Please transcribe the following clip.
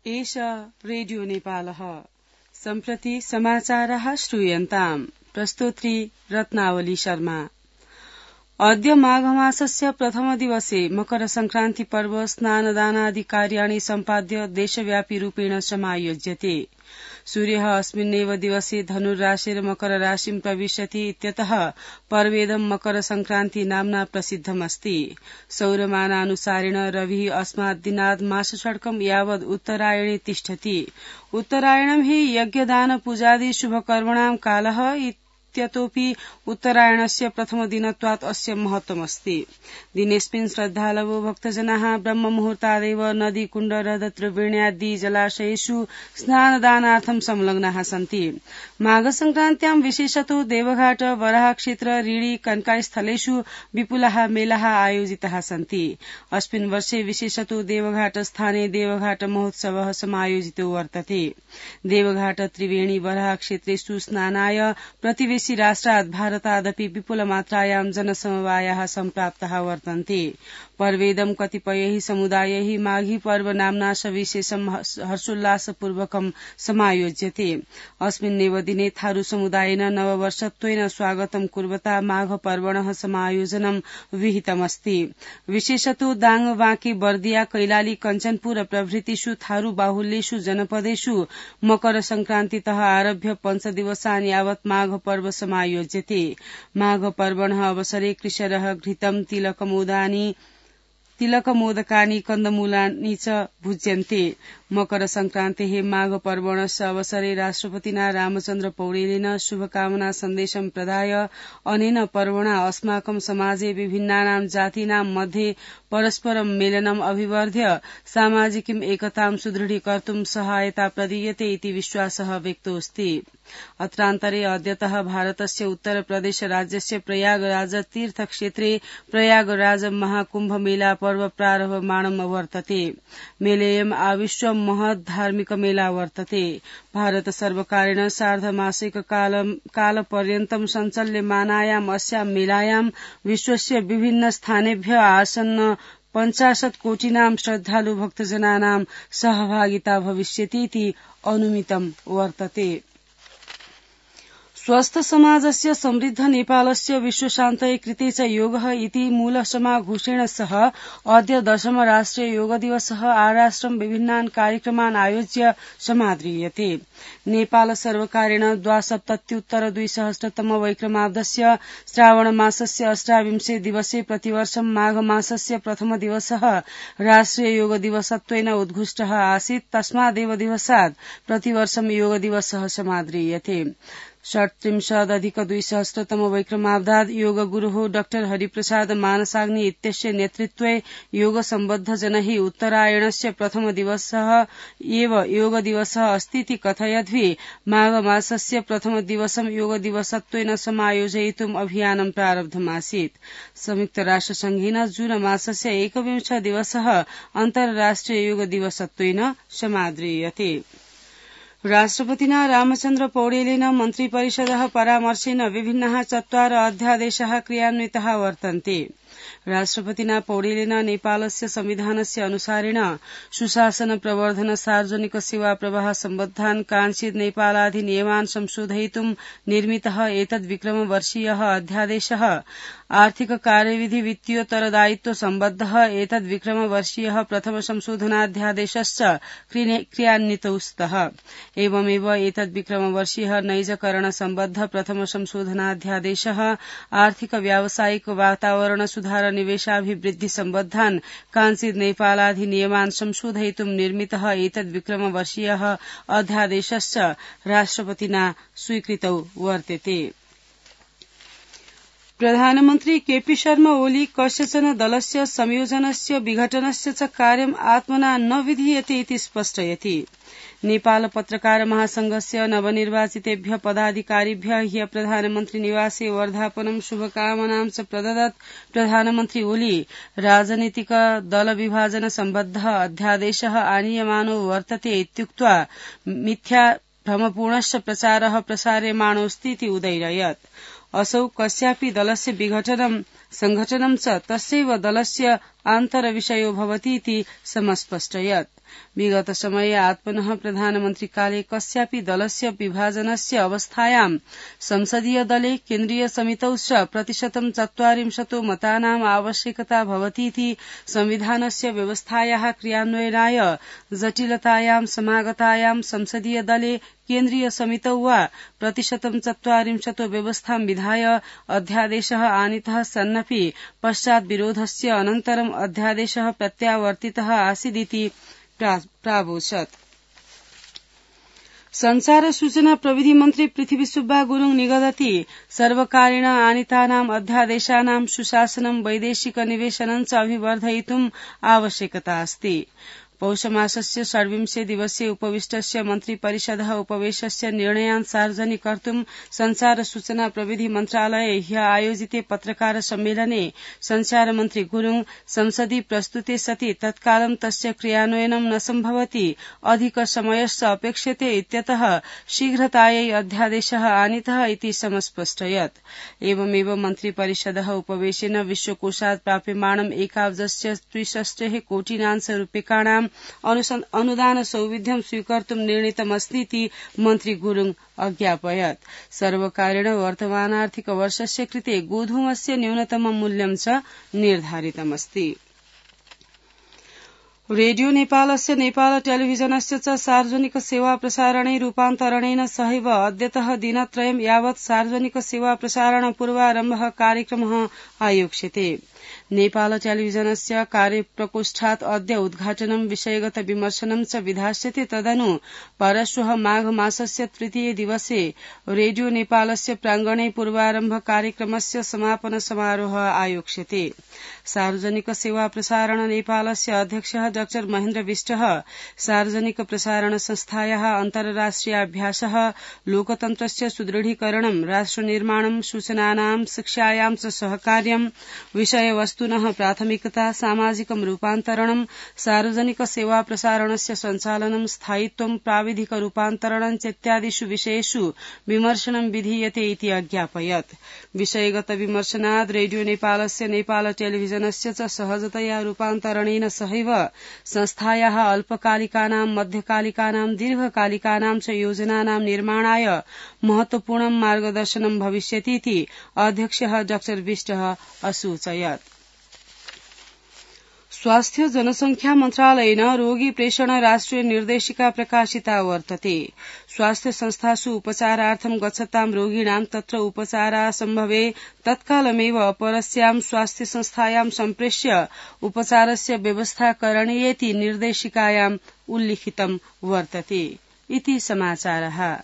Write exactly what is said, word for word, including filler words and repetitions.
एष रेडियो नेपालः सम्प्रति समाचारः श्रूयन्ताम् प्रस्तोत्री रत्नावली शर्मा। अद्य माघमासस्य प्रथम दिवसे मकर संक्रान्ति पर्व स्नानदानादि कार्याणि सम्पाद्य देशव्यापी रूपेण समायोज्यते। सूर्यः अस्मिन्नेव दिवसे धनुर्राशिर मकर राशिं प्रविशति इत्यतः पर्वेदं मकर संक्रान्ति नाम्ना प्रसिद्धमस्ति। सौरमानानुसारेण रविः अस्मात् दिनात् मासषट्कं यावद् उत्तरायणे तिष्ठति। उत्तरायणं हि यज्ञदान पूजादि शुभकर्मणां कालः इत्यतोऽपि उत्तरायणस्य प्रथमदिनत्वात् अस्य महत्त्वमस्ति। दिनेऽस्मिन् श्रद्धालवो भक्तजनाः ब्रह्ममुहूर्तादेव नदी कुण्ड हृद त्रिवेण्यादि जलाशयेषु स्नानदानार्थं संलग्नाः सन्ति। माघसंक्रान्त्यां विशेषतो देवघाट वराहक्षेत्र ऋणि कनकास्थलेषु विपुलाः मेलाः आयोजिताः सन्ति। अस्मिन् वर्षे विशेषतो देवघाट स्थाने देवघाट महोत्सवः समायोजितो वर्तते। देवघाट त्रिवेणी वराहक्षेत्रेषु स्नानाय प्रतिवेशि राष्ट्रात् भारतादपि विपुलमात्रायां जनसमवायाः सम्प्राप्ताः वर्तन्ते। पर्वेदं कतिपयैः समुदायैः माघी पर्व नाम्ना सविशेषं हर्षोल्लासपूर्वकं समायोज्यते। अस्मिन्नेव दिने थारू समुदायेन नववर्षत्वेन स्वागतं कुर्वता माघ पर्वणः समायोजनं विहितमस्ति। विशेषतो दाङ बाँके बर्दिया कैलाली कञ्चनपुर प्रभृतिषु थारू बाहुल्येषु जनपदेषु मकर संक्रान्तितः आरभ्य पञ्चदिवसान् यावत् माघ पर्व समायोज्यते। माघ पर्वणः अवसरे कृषरः घृतं तिलकमोदानि तिलकमोदकानि कन्दमूलानि च भुज्यन्ते। मकर संक्रान्तेः माघ पर्वणस्य अवसरे राष्ट्रपतिना रामचन्द्र पौडेलेन शुभकामना सन्देशं प्रदाय अनेन पर्वणा अस्माकं समाजे विभिन्नानां जातीनां मध्ये परस्परं मेलनम् अभिवर्ध्य सामाजिकीम् एकतां सुदृढीकर्तुं सहायता प्रदीयते इति विश्वासः व्यक्तोऽस्ति। अत्रान्तरे अद्यतः भारतस्य उत्तरप्रदेश राज्यस्य प्रयागराज तीर्थक्षेत्रे प्रयागराज महाकुम्भ मेला पर्व प्रारभमाणम् वर्तते। मेलेयम् आविश्व महत् धार्मिक मेला वर्तते। भारत सर्वकारेण सार्धमासिक कालपर्यन्तं सञ्चाल्यमानायाम् अस्यां मेलायां विश्वस्य विभिन्न स्थानेभ्य आसन्न पञ्चाशत् कोटिनां श्रद्धालु भक्तजनानां सहभागिता भविष्यतीति अनुमितं वर्तते। स्वस्थ समाजस्य समृद्ध नेपालस्य विश्वशान्तये कृते च योगः इति मूलसमाघोषेण सह अद्य दशम राष्ट्रिय योग दिवसः आराष्ट्रं विभिन्नान् कार्यक्रमान् आयोज्य समाद्रियते। नेपाल सर्वकारेण द्वासप्तत्युत्तर द्विसहस्रतम वैक्रमाब्दस्य श्रावण मासस्य अष्टाविंशे दिवसे प्रतिवर्षं माघ मासस्य प्रथम दिवसः राष्ट्रिय योग दिवसत्वेन उद्घुष्टः आसीत्। तस्मादेव दिवसात् प्रतिवर्षं योग दिवसः समाद्रियते। षट्त्रिंशदधिक द्विसहस्रतम वैक्रमाब्दात् योग गुरुः डाक्टर हरिप्रसाद मानसाग्नि इत्यस्य नेतृत्वे योग सम्बद्ध जनैः उत्तरायणस्य प्रथम दिवसः एव योग दिवसः अस्तीति कथयद्वि माघ मासस्य प्रथम दिवसं योग दिवसत्वेन समायोजयितुम् अभियानं प्रारब्धमासीत्। संयुक्त राष्ट्रसंघेन जून मासस्य एकविंश दिवसः अन्तर्राष्ट्रिय योग दिवसत्वेन समाद्रियते। राष्ट्रपतिना रामचन्द्र पौडेलेन मन्त्रिपरिषदः परामर्शेन विभिन्नाः चत्वार अध्यादेशाः क्रियान्विताः वर्तन्ते। राष्ट्रपतिना पौडेलेन नेपालस्य संविधानस्य अनुसारेण सुशासन प्रवर्धन सार्वजनिक सेवा प्रवाह सम्बद्धान् काञ्चित् नेपालाधिनियमान् संशोधयितुं निर्मितः एतद् विक्रम वर्षीयः अध्यादेशः आर्थिक कार्यविधि वित्तीयोत्तरदायित्व सम्बद्धः एतद् विक्रम वर्षीयः प्रथम संशोधनाध्यादेशश्च क्रियान्वितौ स्तः। एवमेव एतद् विक्रम वर्षीयः नैजकरण सम्बद्ध प्रथम संशोधनाध्यादेशः आर्थिक व्यावसायिक वातावरण सुधार निवेशाभिवृद्धि सम्बद्धान् काञ्चित् नेपालाधिनियमान् संशोधयितुं निर्मितः एतद् विक्रम वर्षीयः अध्यादेशश्च राष्ट्रपतिना स्वीकृतौ वर्तते। प्रधानमन्त्री केपी शर्मा ओली कस्यचन दलस्य संयोजनस्य विघटनस्य च कार्यम् आत्मना न विधीयते इति स्पष्टयति। नेपाल पत्रकार महासंघस्य नवनिर्वाचितेभ्य पदाधिकारिभ्य ह्य प्रधानमन्त्री निवासे वर्धापनं शुभकामनां च प्रददत् प्रधानमन्त्री ओली राजनीतिक दल विभाजन सम्बद्ध अध्यादेशः आनीयमानो वर्तते इत्युक्त्वा मिथ्या भ्रमपूर्णश्च प्रचारः प्रसार्यमाणोऽस्ति इति उदैरयत्। असौ कस्यापि दलस्य विघटनं संघटनं च तस्यैव दलस्य आन्तरविषयो भवति इति समस्पष्टयत्। विगत समये आत्मनः प्रधानमन्त्रिकाले कस्यापि दलस्य विभाजनस्य अवस्थायां संसदीय दले केन्द्रीय समितौ च प्रतिशतं चत्वारिंशतो मतानाम् आवश्यकता भवतीति संविधानस्य व्यवस्थायाः क्रियान्वयनाय जटिलतायां समागतायां संसदीय दले केन्द्रीय समितौ वा प्रतिशतं चत्वारिंशतो व्यवस्थां विधाय अध्यादेशः आनीतः सन्नपि पश्चात् विरोधस्य अनन्तरम् अध्यादेशः प्रत्यावर्तितः आसीदिति प्रावोचत्। संचार सूचना प्रविधि मन्त्री पृथ्वी सुब्बा गुरुङ निगदति सर्वकारेण आनीतानाम् अध्यादेशानां सुशासनं वैदेशिक निवेशनं च अभिवर्धयितुम् आवश्यकता अस्ति। पौषमासस्य षड्विंशे दिवसे उपविष्टस्य मन्त्रिपरिषदः उपवेशस्य निर्णयान् सार्वजनिकर्तुं संचार सूचना प्रविधि मन्त्रालये ह्य आयोजिते पत्रकार सम्मेलने संचार मन्त्री गुरुङ संसदि प्रस्तुते सति तत्कालं तस्य क्रियान्वयनं न सम्भवति, अधिक समयश्च अपेक्ष्यते इत्यतः शीघ्रतायै अध्यादेशः आनीतः इति समस्पष्टयत्। एवमेव मन्त्रिपरिषदः उपवेशेन विश्वकोषात् प्राप्यमाणम् एकाब्जस्य त्रिषष्टिः कोटिनांश रूप्यकाणां अनुदान सौविध्यं स्वीकर्तुं निर्णीतमस्तीति मन्त्री गुरुङ अज्ञापयत्। सर्वकारेण वर्तमानार्थिक वर्षस्य कृते गोधूमस्य न्यूनतमं मूल्यं च निर्धारितमस्ति। रेडियो नेपालस्य नेपाल टेलिभिजनस्य च सार्वजनिक सेवा प्रसारणे रूपान्तरणेन सहैव अद्यतः दिनत्रयं यावत् सार्वजनिक सेवा प्रसारण पूर्वारम्भः कार्यक्रमः आयोक्ष्यते। नेपाल टेलिभिजनस्य कार्यप्रकोष्ठात् अद्य उद्घाटनं विषयगत विमर्शनं च विधास्यते। तदनु परश्वः माघ मासस्य तृतीये दिवसे रेडियो नेपालस्य प्रांगणे पूर्वारम्भ कार्यक्रमस्य समापन समारोह आयोक्ष्यते। सार्वजनिक सेवा प्रसारण नेपालस्य अध्यक्षः डाक्टर महेन्द्र विष्टः सार्वजनिक प्रसारण संस्थायाः अन्तर्राष्ट्रियाभ्यासः लोकतन्त्रस्य सुदृढीकरणं राष्ट्रनिर्माणं सूचनानां शिक्षायां च सहकार्यं विषयवस्तुनः प्राथमिकता सामाजिकं रूपान्तरणं सार्वजनिक सेवा प्रसारणस्य सञ्चालनं स्थायित्वं प्राविधिक रूपान्तरणं चेत्यादिषु विषयेषु विमर्शनं विधीयते इति अज्ञापयत्। विषयगत विमर्शनाद् रेडियो नेपालस्य नेपाल टेलिभिजनस्य च सहजतया रूपान्तरणेन सहैव संस्थायाः अल्पकालिकानां मध्यकालिकानां दीर्घकालिकानां च योजनानां निर्माणाय महत्वपूर्णं मार्गदर्शनं भविष्यतीति अध्यक्षः डाक्टर विष्टः असूचयत्। स्वास्थ्य जनसंख्या मन्त्रालयेन रोगी प्रेषण राष्ट्रिय निर्देशिका प्रकाशिता वर्तते। स्वास्थ्य संस्थासु उपचारार्थं गच्छतां रोगिणां तत्र उपचारासम्भवे तत्कालमेव अपरस्यां स्वास्थ्य संस्थायां सम्प्रेष्य उपचारस्य व्यवस्था करणीयेति निर्देशिकायाम् उल्लिखितं वर्तते इति समाचारः।